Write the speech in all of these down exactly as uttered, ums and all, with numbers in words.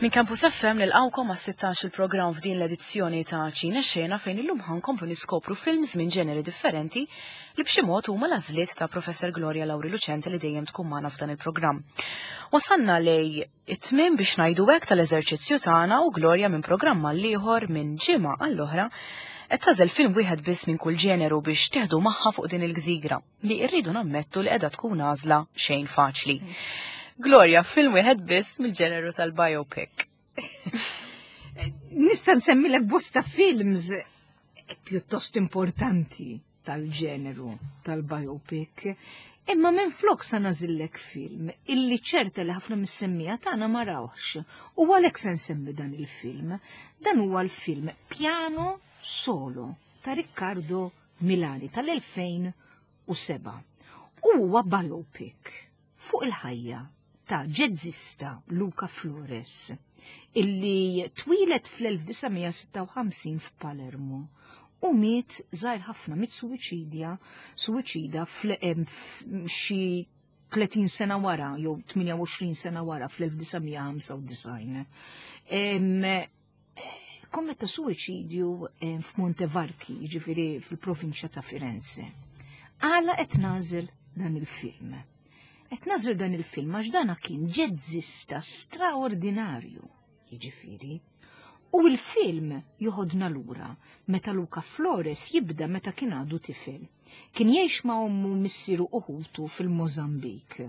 Minn Campus F M nilqawkom għas-sittax il-programm f'din l-edizzjoni ta' Ċine Xena, fejn illum ħa nkomplu niskopru films minn ġeneri differenti li b'xi mod huma l-għażliet ta' Professor Gloria Lauri Lucente, li dejjem tkun magħna f'dan il-programm. Wasanna lejn it-tmiem, biex ngħidu hekk, tal-eżerċizzju tagħna u Gloria, minn programm għal ieħor, minn ġimgħa għall-oħra, qed tagħżel film wieħed biss minn kull ġeneru biex teħdu magħha fuq din il-gżira li rridu nammettu li qiegħda tkun għażla xejn faċli. Gloria, film wieħed biss mill-ġeneru tal-biopic. Nista' nsemmilek bosta films pjuttost importanti tal-ġeneru tal-biopic, imma minn flok sa nagħżillek film illi ċerta li ħafna mis-semmiegħa tagħna ma rawx. U għalhekk se nsemmi dan il-film. Dan huwa l-film Piano Solo ta' Riccardo Milani tal-elfejn u sebgħa. U huwa biopic fuq il-ħajja ta' ġezzista Luca Flores, illi twieled fl-elf disa' mija sitta u ħamsin f'Palermo u miet żgħir ħafna, miet suwiċidja, suwiċida xi tletin sena wara jew tmienja u għoxrin sena wara, fl-elf disa' mija ħamsa u disgħin. Kommetta suwiċidju f'Montevarchi, ġifieri fil-provinċja ta' Firenze. Għala qed nagħżel dan il-film? Qed nagħżel dan il-film għax dana kien ġezzista straordinarju, jiġifieri. U il-film joħodna lura meta Luca Flores jibda meta kien għadu tifel. Kien jgħix ma' ommu, missieru u ħutu fil-Mozambik.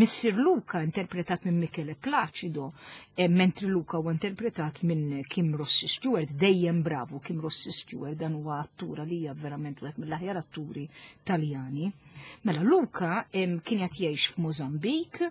Missier Luca interpretat minn Michele Placido, e mentri Luca huwa interpretat minn Kim Rossi Stewart, dejjem bravu Kim Rossi Stewart, dan huwa attura li hija verament wieħed mill-aħjar atturi Taljani. Mela Luca kien qed jgħix f'Mozambik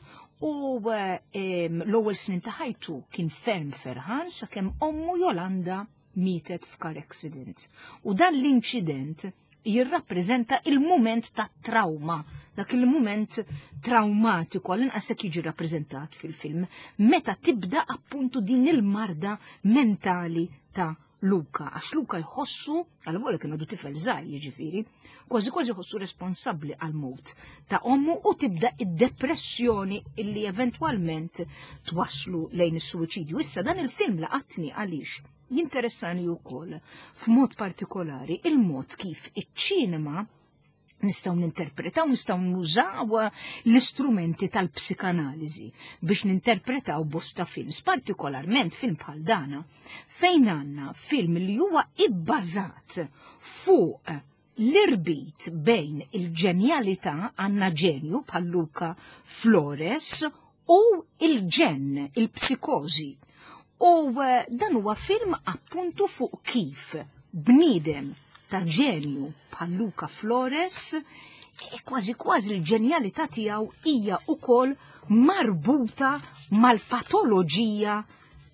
u l-ewwel snin ta' ħajtu kien ferm ferħan sakemm ommu Jolanda mietet f'car accident. U dan l-inċident jirrappreżenta il-moment ta' trauma, dak il-moment traumatiku, għall-inqas jiġi rappreżentat fil-film, meta tibda appuntu din il-marda mentali ta' Luca, għax Luca jħossu, għal għolek kien għadu tifel żgħir jiġifieri, kważi kważi jħossu responsabbli għal mewt ta' ommu u tibda id-depressjoni illi eventwalment twaslu lejn is-suwiċidju. Issa, dan il-film laqatni għaliex jinteressani wkoll f'mod partikolari il-mod kif iċ-ċinema nistgħu ninterpretaw, nistgħu nużaw l-istrumenti tal-psikanaliżi biex ninterpretaw bosta films, partikolarment film bħal dana, fejn għandna film li huwa ibbażat fuq l-irbit bejn il-ġenjalità, għandna ġenju bħal Luca Flores, u il-ġenn, il-psikozi. U eh, dan huwa film appuntu fuq kif bniedem ta' ġenju bħal Luca Flores e kważi kważi l-ġenjalità tiegħu hija wkoll marbuta mal-patoloġija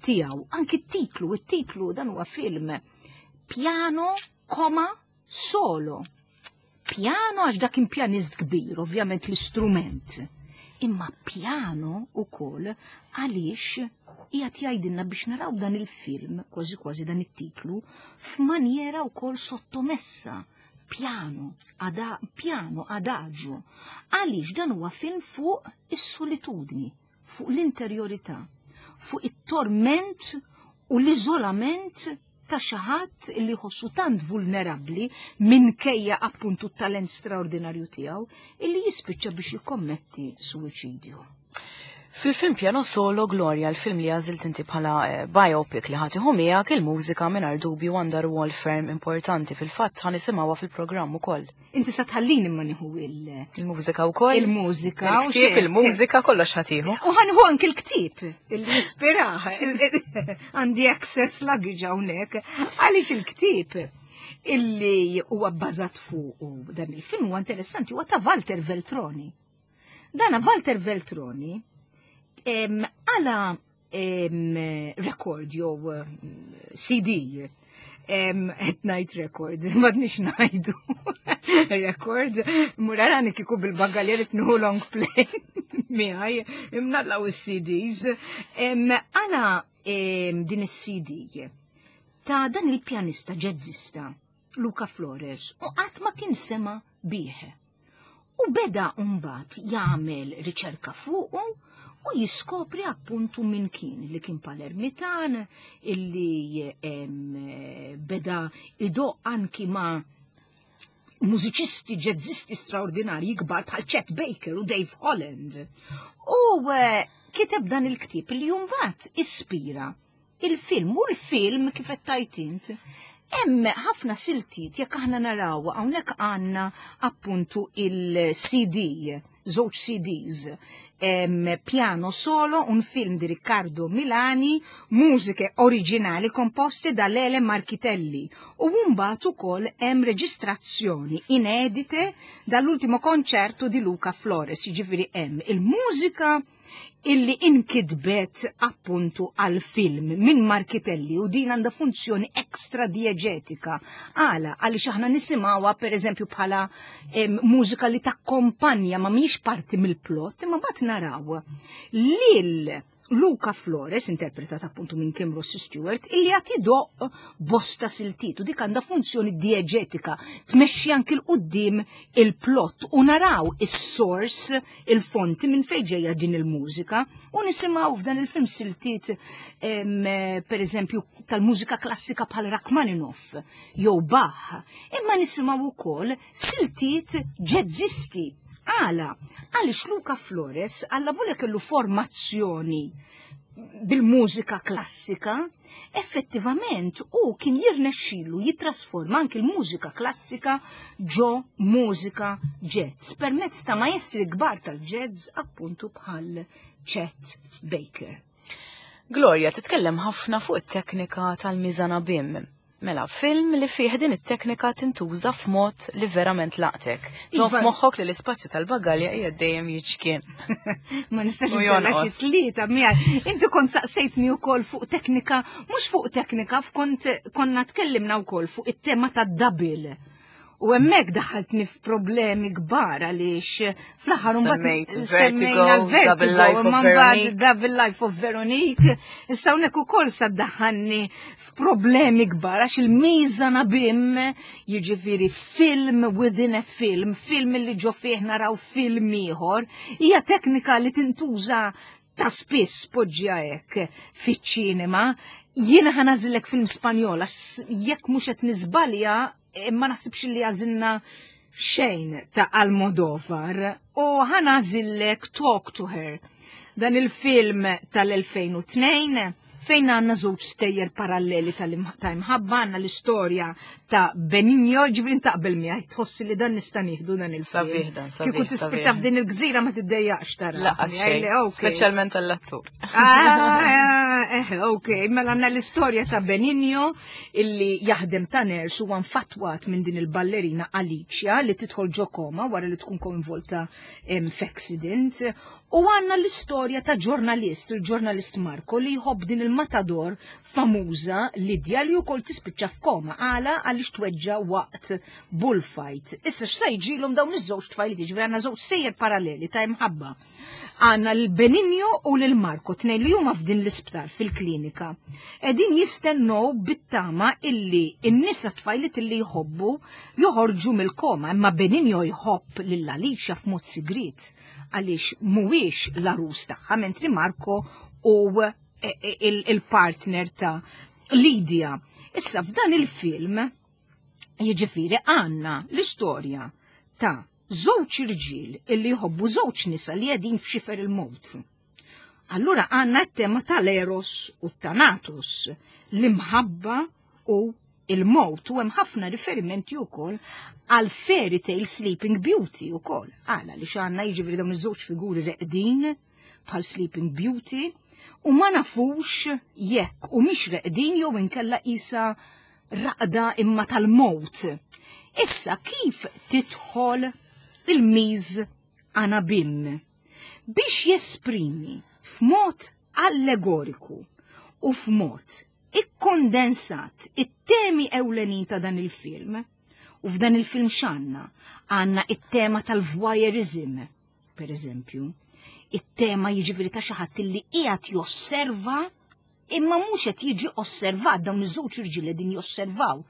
tiegħu. Anki t-titlu, it-titlu, dan huwa film Piano, koma, Solo. Piano għax dak kien pjanist kbir, ovvjament l-istrument. Imma piano ukoll għaliex qiegħed jgħidilna biex naraw dan il-film, kważi kważi dan it-titlu, f'manjera wkoll sottomessa. Piano, ada, piano, adagio. Għaliex dan huwa film fuq is-solitudni, fuq l-interjorità, fuq it-torment u l-iżolament ta' xi ħadd li jħossu tant vulnerabbli minkejja appuntu t-talent straordinarju tiegħu illi jispiċċa biex jikkommetti suwiċidju. Fil-film Piano Solo, Gloria, il-film li għażilt inti bħala eh, biopic li ħa tieħu miegħek, il-mużika mingħajr dubju għandha rwol ferm importanti. Fil-fatt ħa nisimgħuha fil-programm ukoll. Inti sa tħallini ma nieħu il- Il-mużika wkoll. Il-mużika. U Il-ktieb, xejn. Il-mużika, kollox ħa tieħu. U ħa nieħu anki l-ktieb illi jispirah. Għandi access luggage hawnhekk. Għaliex il-ktieb illi huwa bbażat fuq dan il-film huwa interessanti, huwa ta' Walter Veltroni. Dana Walter Veltroni em, għala em, record jew em, C D, em, qed ngħid record, m'għadniex ngħidu record, murarani kiku bil-bagaljer tnuħu long play miegħi, imnallaw is-C Ds. Em, Għala em, din is-C D ta' dan il-pjanista ġezzista Luca Flores u qatt ma kien sema bih. U beda mbagħad jagħmel riċerka fuqu U jiskopri appuntu min kien, li kien Palermitan, illi beda idoqq anki ma' mużiċisti, ġezzisti straordinarji kbar bħal Chet Baker u Dave Holland. U eh, kiteb dan il-ktib li mbagħad ispira il-film, u l-film kif qed int hemm ħafna siltiet. Jekk aħna naraw hawnhekk, għandna appuntu il-C D, żewġ C Ds, em, Piano Solo, un film di Riccardo Milani, musiche originali composte da Lele Marchitelli. U mbagħad ukoll hemm reġistrazzjoni inedite dall'ultimo concerto di Luca Flores, jiġifieri hemm il-mużika illi inkitbet appuntu għal film minn Marchitelli u din għandha funzjoni ekstra dieġetika. Għala, għaliex aħna nisimgħuha, per eżempju, bħala em, mużika li takkompanja, ma mhijiex parti mill-plot, imma mbagħad naraw lil Luca Flores, interpretat appuntu minn Kim Ross Stewart, illi qed idoqq bosta siltiet u dik għandha funzjoni dieġetika, tmexxi anki 'l quddiem il-plot u naraw is-source, il-fonti minn fejn ġejja din il-mużika, u nisimgħu f'dan il-film siltiet, per eżempju, tal-mużika klassika bħal Rachmaninoff jew Bach, imma nisimgħu wkoll siltiet ġezzisti. Għala, għaliex Luca Flores għalla volja kellu formazzjoni bil-mużika klassika, effettivament u kien jirnexxilu jitrasforma anki l-mużika klassika ġo mużika jazz permezz ta' maestri kbar tal-jazz, appuntu bħal Chet Baker. Gloria, titkellem ħafna fuq it-teknika tal-mise en abyme. Mela, film li fih din it-teknika tintuża f'mod li verament laqtek. Żomm Iva. f'moħħok li l-ispazju tal-bagalja hija dejjem jiċkien. Ma nistax U ikollha xi jonqos. tlieta miegħi. Inti kont saqsejtni wkoll fuq teknika, mhux fuq teknika, kont konna tkellimna wkoll fuq it-tema tad-double. U hemmhekk daħaltni f'problemi kbar għaliex fl-aħħar mbagħad Semmejt semmejna Vertigo, l-Vertigo, Double Life of imma mbagħad Veronique. Double Life of Veronique. Issa hawnhekk ukoll sa ddaħħalni f'problemi kbar għax il-mise en abyme, jiġifieri film within a film, film li ġo fih naraw film ieħor, hija teknika li tintuża ta' spiss, poġġja hekk, fiċ-ċinema. Jiena ħa nagħżillek film Spanjol għax jekk mhux qed niżbalja, eh, ma naħsibx li għażilna xejn ta' Almodovar u ħa nagħżillek Talk to Her. Dan il-film tal-elfejn u tnejn fejn għandna żewġ stejjer paralleli tal-im- ta' imħabba, għandna l-istorja ta' Benigno, ġifieri taqbel miegħi, tħossi li dan nista' nieħdu dan il-film? Sabiħ dan, sabiħ, Kieku tispiċċa sabiħ. f'din il-gżira ma tiddejjaqx tara. Lanqas xejn, speċjalment għall-attur. Ah, eh, ok, mela għandna l-istorja ta' Benigno illi jaħdem ta' nurse u infatwat minn din il-ballerina Alicia li tidħol ġo koma wara li tkun koinvolta em, f'accident. U għandna l-istorja ta' ġurnalist, il-ġurnalist Marco, li jħobb din il-matador famuża Lidja li wkoll tispiċċa f'koma. Għala? Għaliex tweġġa waqt bullfight. Issa x'sa jiġrilhom dawn iż-żewġ tfajliet? Ġifieri għandna żewġ stejjer paralleli ta' imħabba. Għandna l-Benigno u l-Marco, tnejn li huma f'din l-isptar fil-klinika. Qegħdin jistennew bit-tama illi n-nisa tfajliet illi jħobbu joħorġu mill-koma, imma Benigno jħobb lil Alicia f'mod sigrit għaliex mhuwiex l-arus tagħha, mentri Marco u il-partner ta' Lydia. Issa f'dan il-film, jiġifieri, għandna l-istorja ta' żewġ irġiel illi jħobbu żewġ nisa li qegħdin f'xifer il-mowt. Allura għandna t-tema tal-Eros u Thanatos, l-imħabba u il-mowt, u hemm ħafna riferimenti wkoll għal fairy tale Sleeping Beauty ukoll. Għala li għandna, jiġifieri, dawn iż-żewġ figuri reqdin bħal Sleeping Beauty u ma nafux jekk humiex reqdin jew inkella isa raqda imma tal-mowt. Issa kif tidħol il-mise en abyme? Biex jesprimi f'mod allegoriku u f'mod ikkondensat it-temi ewlenin ta' dan il-film, u f'dan il-film x'għandna? Għandna it-tema tal-voyeurism, per eżempju, it-tema, jiġifieri, ta' xi ħadd li qiegħed josserva imma mhux qed jiġi osservat. Dawn iż-żewġ irġiel qegħdin josservaw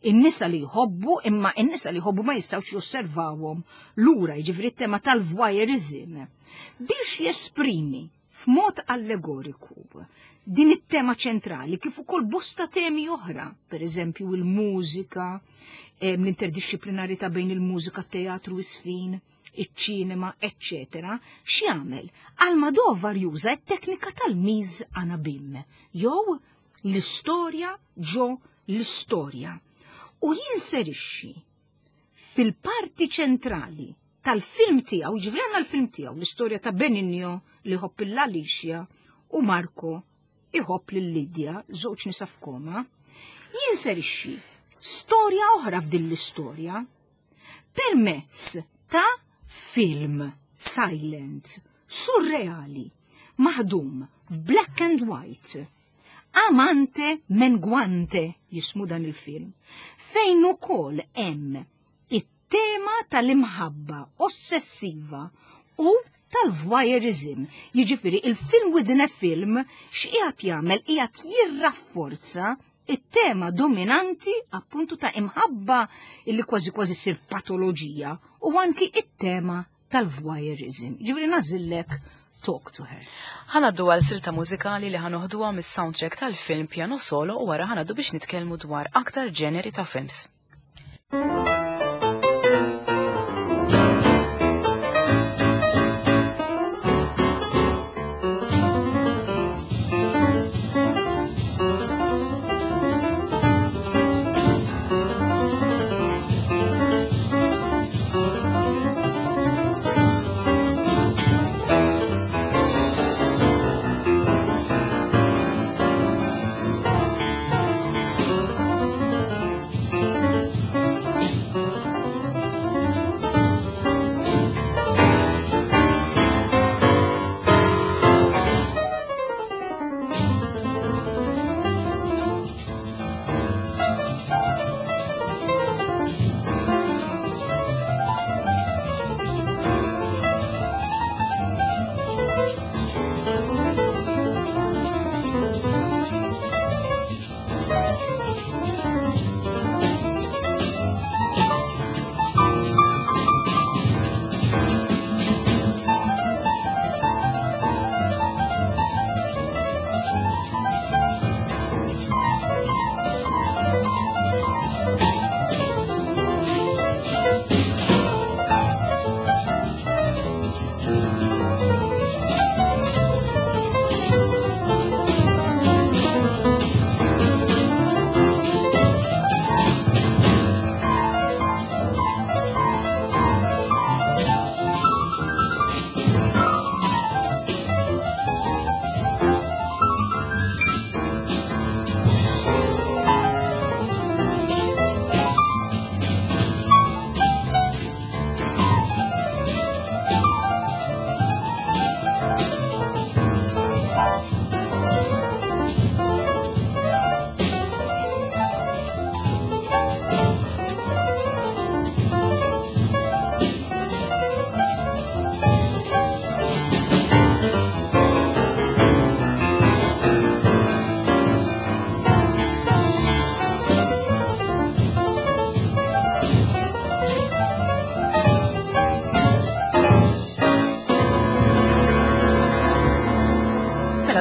in-nisa li jħobbu, imma in-nisa li jħobbu ma jistgħux josservawhom lura, jiġifieri t-tema tal-voyeurism. Biex jesprimi f'mod allegoriku din it-tema ċentrali kif ukoll bosta temi oħra, per eżempju il-mużika, l-interdisciplinarità bejn il-mużika, teatru, is-sfin, iċ-ċinema, eccetera, x'jagħmel? Almodovar juża t-teknika tal-mise en abyme, jew l-istorja ġo l-istorja. U jinserixxi fil-parti ċentrali tal-film tiegħu, jiġifieri għandna l-film tiegħu, l-istorja ta' Benigno li jħobb lil Alicia u Marco iħobb lil Lidja, żewġ nisa f'koma, jinserixxi storja oħra f'din l-istorja permezz ta' film silent, surreali, maħdum f'black and white. Amante Menguante jismu dan il-film, fejn ukoll hemm it-tema tal-imħabba ossessiva u tal-voyeurism. Jiġifieri il-film within a film x'qiegħed jagħmel, qiegħed jirrafforza it-tema dominanti appuntu ta' imħabba illi kważi kważi ssir patoloġija u anki it-tema tal-voyeurism. Ġifieri nagħżillek Talk to Her. Ħa ngħaddu għal silta mużikali li ħa noħduha mis-soundtrack tal-film Piano Solo u wara ħa ngħaddu biex nitkellmu dwar aktar ġeneri ta' films.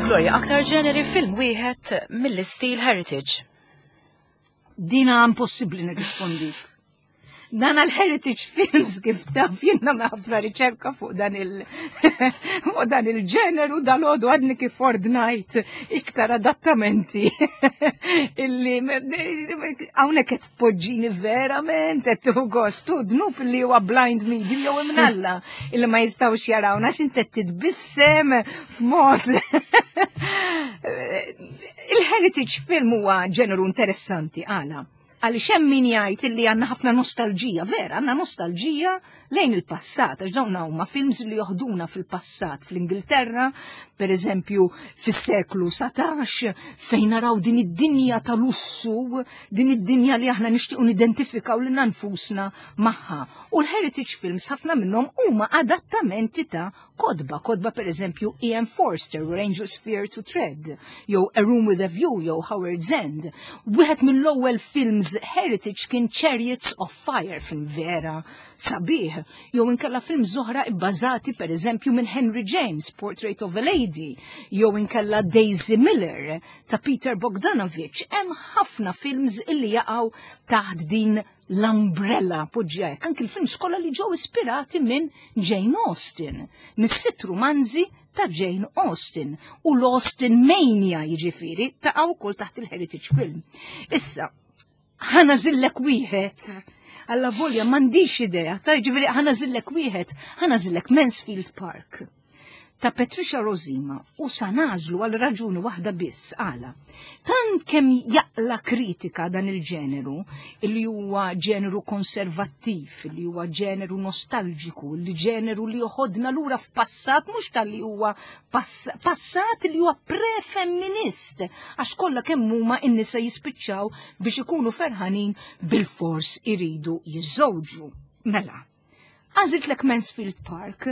Gloria, aktar ġeneri film wieħed mill-istil Heritage. Dina impossibbli nirrispondik. Dan għal-Heritage Films kif taf jien nagħmel ħafna riċerka fuq dan il fuq dan il-ġeneru, dal-għodu għadni kif ordnajt iktar adattamenti illi hawnhekk qed tpoġġini verament qed tieħu gost u dnub li huwa blind medium jew imnalla illi ma jistgħux jarawna għax inti qed titbissem f'mod. Il-Heritage Film huwa ġeneru interessanti għala. Għaliex hemm min jgħid illi għandna ħafna nostalġija, vera, għandna nostalġija lejn il-passat, għax dawn huma films li joħduna fil-passat, fl-Ingilterra, per eżempju, fis-seklu satax, fejn naraw din id-dinja tal-lussu, din id-dinja li aħna nixtiequ nidentifikaw lilna nfusna magħha. U l-Heritage Films ħafna minnhom huma adattamenti ta' kodba, kodba per eżempju E M. Forster, Where Angels Fear to Tread, jew A Room with a View, jew Howard's End. Wieħed mill-ewwel films Films heritage kien Chariots of Fire, film vera sabiħ, jew inkella films oħra ibbażati, per eżempju, minn Henry James, Portrait of a Lady, jew inkella Daisy Miller ta' Peter Bogdanovich. Hemm ħafna films illi jaqgħu taħt din l-umbrella, poġġija. Anki l-films kollha li ġew ispirati minn Jane Austen, mis-sitt romanzi ta' Jane Austen u l-Austen Mania, jiġifieri ta' wkoll taħt il-heritage film. Issa, ħa nagħżillek wieħed, alla volja m'għandix idea, ta' jiġifieri ħa nagħżillek wieħed, ħa nagħżillek Mansfield Park ta' Patricia Rozema u sa nagħżlu għal raġuni waħda biss. Għala. Tant kemm jaqla kritika dan il-ġeneru, li huwa ġeneru konservattiv, li huwa ġeneru nostalġiku, li ġeneru li joħodna lura f'passat, mhux tal-li huwa pass passat li huwa pre-femminist, għax kollha kemm huma n-nisa jispiċċaw biex ikunu ferħanin bil-fors iridu jiżżewġu. Mela, għażiltlek Mansfield Park.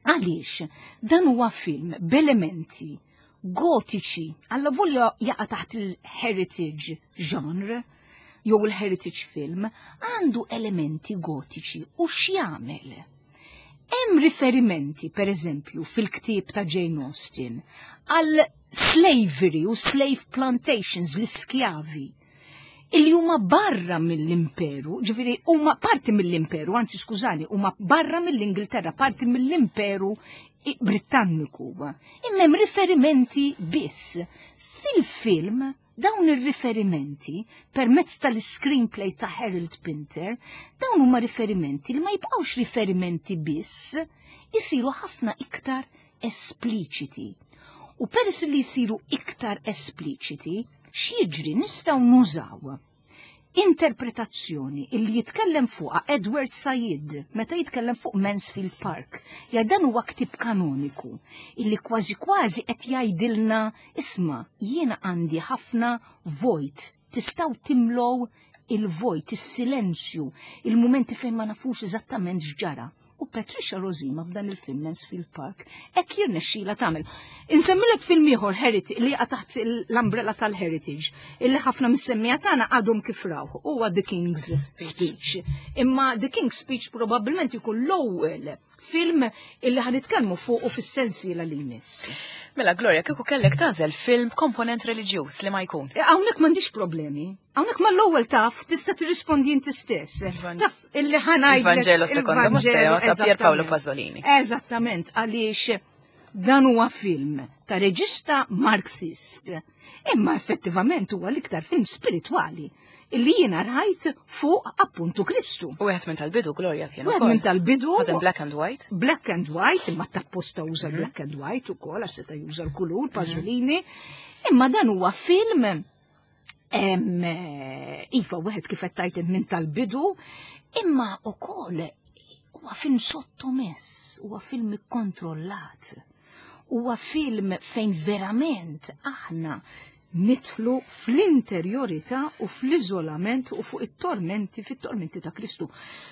Għaliex, dan huwa film b'elementi gotiċi, alla volja jaqa' taħt il-heritage genre, jew il-heritage film, għandu elementi gotiċi u x'jagħmel? Hemm riferimenti, per eżempju, fil-ktieb ta' Jane Austen għal slavery u slave plantations, l-iskjavi, illi huma barra mill-imperu, ġifieri huma parti mill-imperu, anzi skużani, huma barra mill-Ingilterra, parti mill-imperu Britanniku. Imma hemm riferimenti biss. Fil-film dawn ir-riferimenti permezz tal-screenplay ta' Harold Pinter, dawn huma riferimenti li ma jibqgħux riferimenti biss, jisiru ħafna iktar espliċiti. U peress li jisiru iktar espliċiti, x'jiġri? Nistgħu nużaw interpretazzjoni illi jitkellem fuqha Edward Said meta jitkellem fuq Mansfield Park. Ja dan huwa ktib kanoniku illi kważi kważi qed jgħidilna: isma', jiena għandi ħafna vojt, tistgħu timlow il-vojt, is-silenzju, il-mumenti fejn ma nafux eżattament x'ġara. U Patricia Rozema f'dan il-film Mansfield Park hekk jirnexxila tagħmel. Insemmilek film ieħor heritage li jaqa' taħt l-umbrella tal-heritage illi ħafna mis-semmija tagħna għadhom kif rawh, huwa The King's Speech. Imma The King's Speech probabbilment ikun l-ewwel film illi ħa nitkellmu fuq u fis-sensiela li jmiss. Mela Gloria, kieku kellek tagħżel film komponent reliġjuż, li ma jkun? E, hawnhekk m'għandix problemi. Hawnhekk mal-ewwel taf tista' tirrispondi inti stess. Taf illi ħa ngħidlek. Il-Vangelo secondo Matteo ta' Pier Paolo Pasolini. Eżattament, għaliex dan huwa film ta' reġista Marxist. Imma effettivament huwa l-iktar film spiritwali illi jiena rajt fuq appuntu Kristu. U wieħed minn tal-bidu, Gloria, kien. Wieħed minn tal-bidu. Ħadem black and white. Black and white, imma tapposta uża mhm. black and white ukoll għax seta' juża l-kulur Pasolini. Imma dan huwa film, iva, wieħed kif qed tgħid minn tal-bidu, imma ukoll huwa film sottomess, huwa film ikkontrollat. Huwa film fejn verament aħna nidħlu fl-interjorità u fl-iżolament u fuq it-tormenti, fit-tormenti ta' Kristu.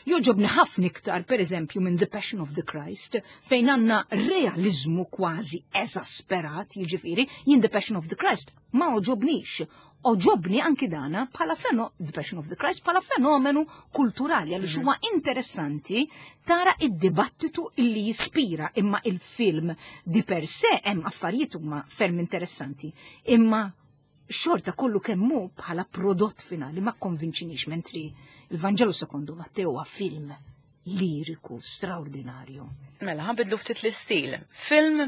Jogħġobni ħafna iktar, per eżempju, minn The Passion of the Christ, fejn għandna realizmu kważi eżasperat, jiġifieri, jien The Passion of the Christ ma għoġobnix. Għoġobni anki dana bħala feno, The Passion of the Christ bħala fenomenu kulturali, għaliex mhm. huwa interessanti tara id-dibattitu illi jispira, imma il-film di per se hemm affarijiet huma ferm interessanti. Imma xorta kollu kemmu bħala prodott finali ma konvinċinix, mentri il-Vangelo secondo Matteo huwa film liriku straordinarju. Mela, ħa nbiddlu ftit l-istil. Film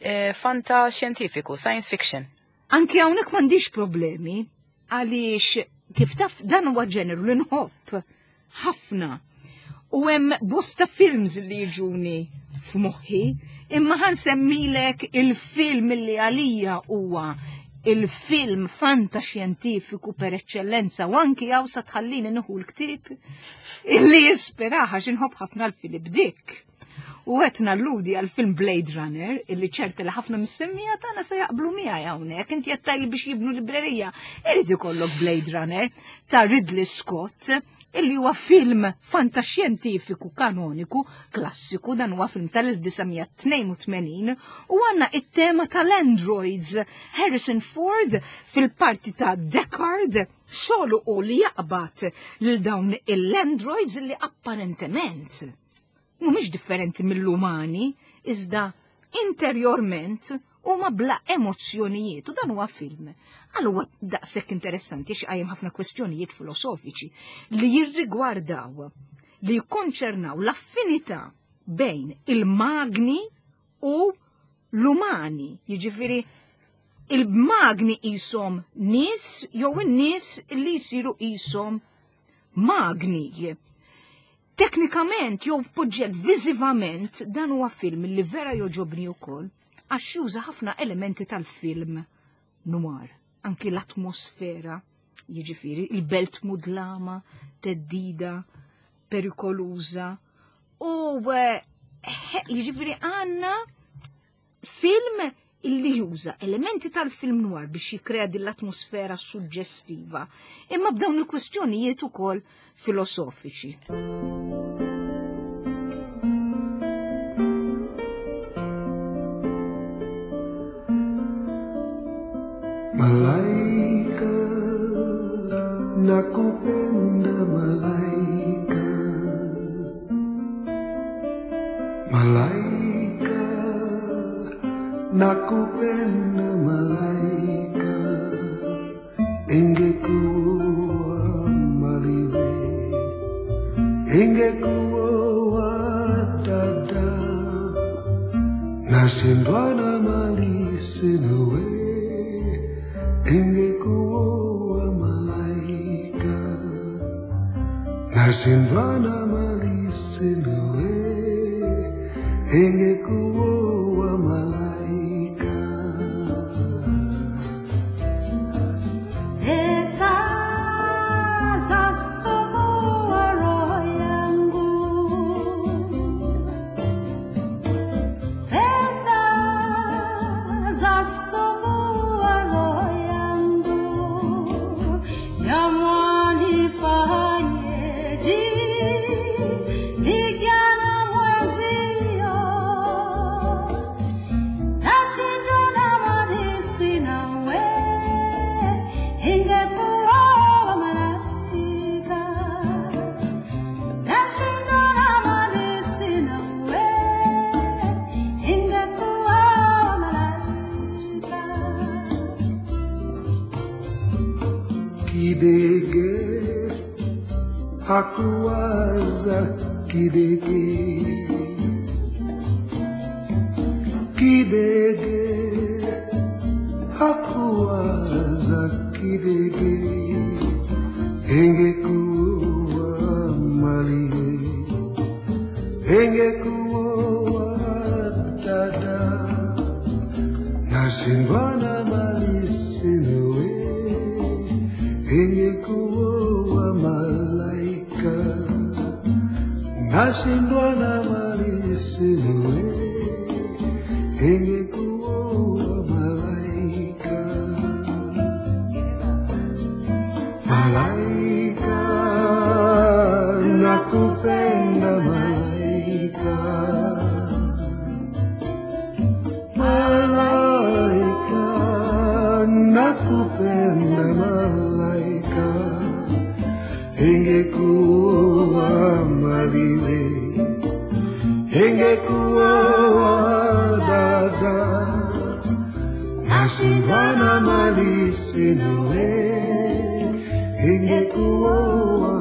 eh, fanta xjentifiku, science fiction. Anki hawnhekk m'għandix problemi, għaliex kif taf dan huwa ġeneru li nħobb ħafna. U hemm bosta films li jiġuni f'moħħi, imma ħa nsemmilek il-film li għalija huwa il-film fantaxjentifiku per eccellenza u anki għaw sa tħallini nieħu l-ktib illi jispiraha, x'inħobb ħafna l-Philip Dick. U qed nalludi għal-film Blade Runner, illi ċerta li ħafna mis-semmija tagħna se jaqblu miegħi hawnhekk. Inti qed tgħidli biex jibnu librerija, irid ikollok Blade Runner ta' Ridley Scott. Illi huwa film fantaxjentifiku kanoniku, klassiku, dan huwa film tal-elf disa' mija tnejn u tmenin u għandna it-tema tal-androids. Harrison Ford fil-parti ta' Deckard xogħlu u li jaqbad lil dawn l-androids li apparentement mhumiex differenti mill-umani, iżda interjorment huma bla emozzjonijiet, u dan huwa film. Għal huwa daqshekk interessanti x'qajjem ħafna kwestjonijiet filosofiċi li jirrigwardaw, li jikkonċernaw l-affinità bejn il-magni u l-umani. Jiġifieri il-magni qishom nies jew in-nies li jsiru qishom magni. Teknikament jew poġġet viżivament, dan huwa film li vera joġobni wkoll għax juża ħafna elementi tal-film noir, anki l-atmosfera, jiġifieri il-belt mudlama, theddida, perikoluża, u eh, jiġifieri għandna film illi juża elementi tal-film noir biex jikrea din l-atmosfera suġġestiva, imma b'dawn il-kwestjonijiet ukoll filosofiċi. Malaika, nakupenda malaika. Malaika, nakupenda malaika. Ingekuwa maliwe, ingekuwa dada. Nashindwa na mali sina we, ingekuwa malaika. Nashindwa na mali sina we, ingekuwa malaika. Pesa zasumbua roho yangu, pesa zasumbua roho yangu, jamani fanyeje, vijana mwenzio, nashindwa na mali sina we, ingekuwa malaika. Nashindwa na mali sina we, ingekuwa malaika. Kidege hakuwaza kidege, kidege hakuwaza kidege, ingekuwa maliwe, ingekuwa dada. Nashindwa na mali sina we, ingekuwa malaika. Nashindwa na mali sina we, ingekuwa malaika. Malaika, nakupenda malaika. Malaika, nakupenda malaika. Ingekuwa maliwe, ingekuwa dada. Nashindwa na mali sina we, ingekuwa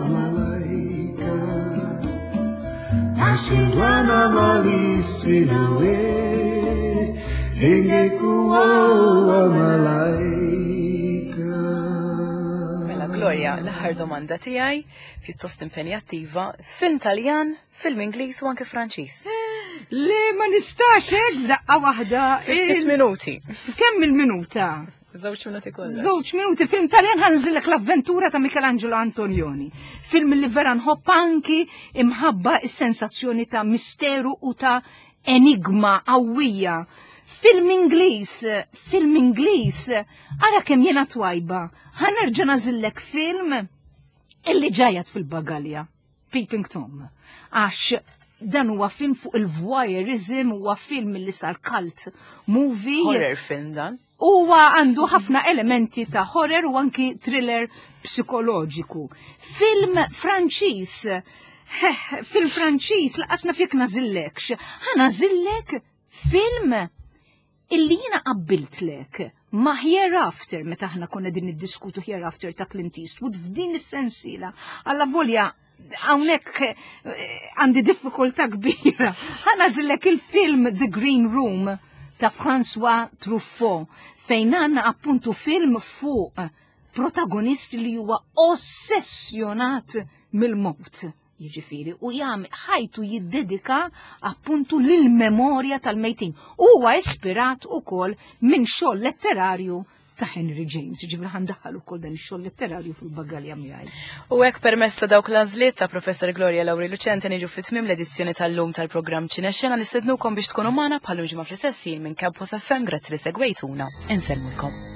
malaika. Nashindwa na mali sina we, ingekuwa malaika. Mela Gloria, l-aħħar domanda tiegħi, pjuttost impenjattiva, film Taljan, film Ingliż u anke Franċiż. Le, ma nistax hekk daqqa waħda. Ftit minuti. Kemm il-minuta? Żewġ minuti kollox. Żewġ minuti. Film Taljan, ħa nagħżillek L-Avventura ta' Michelangelo Antonioni. Film li vera nħobb anki imħabba is-sensazzjoni ta' misteru u ta' enigma qawwija. Film Ingliż, film Ingliż, ara kemm jiena twajba. Ħa nerġa' nagħżillek film Illi ġajat fil-bagalja, Peeping Tom, għax dan huwa film fuq il-voyeurism, huwa film li sar cult movie. Horror film dan. Huwa għandu ħafna elementi ta' horror u anki thriller psikoloġiku. Film Franċiż, film Franċiż, lanqas naf jekk nagħżillekx. Ħa nagħżillek film illi jiena qabbiltlek ma' Hereafter, meta aħna konna din niddiskutu Hereafter ta' Clint Eastwood f'din is-sensiela. Alla volja hawnhekk eh, għandi diffikultà kbira. Ħa nagħżillek il-film The Green Room ta' François Truffaut, fejn għandna appuntu film fuq protagonist li huwa ossessjonat mill-mot. Jiġifieri, u jam ħajtu jiddedika appuntu lil-memorja tal-mejtin. Huwa ispirat ukoll minn xogħol letterarju ta' Henry James, ġifieri ħa ndaħħal ukoll dan ix-xogħol letterarju fil-bagalja miegħi. U hekk, permezz ta' dawk l-għażliet ta' Professor Gloria Lauri Lucente, niġu fit-tmiem l-edizzjoni tal-lum tal-programm Ċinexxena. Nistednukom biex tkunu magħna bħal ġimgħa fl-istess minn Campus F M. Grazzi li segwejtuna. Insellmulkom.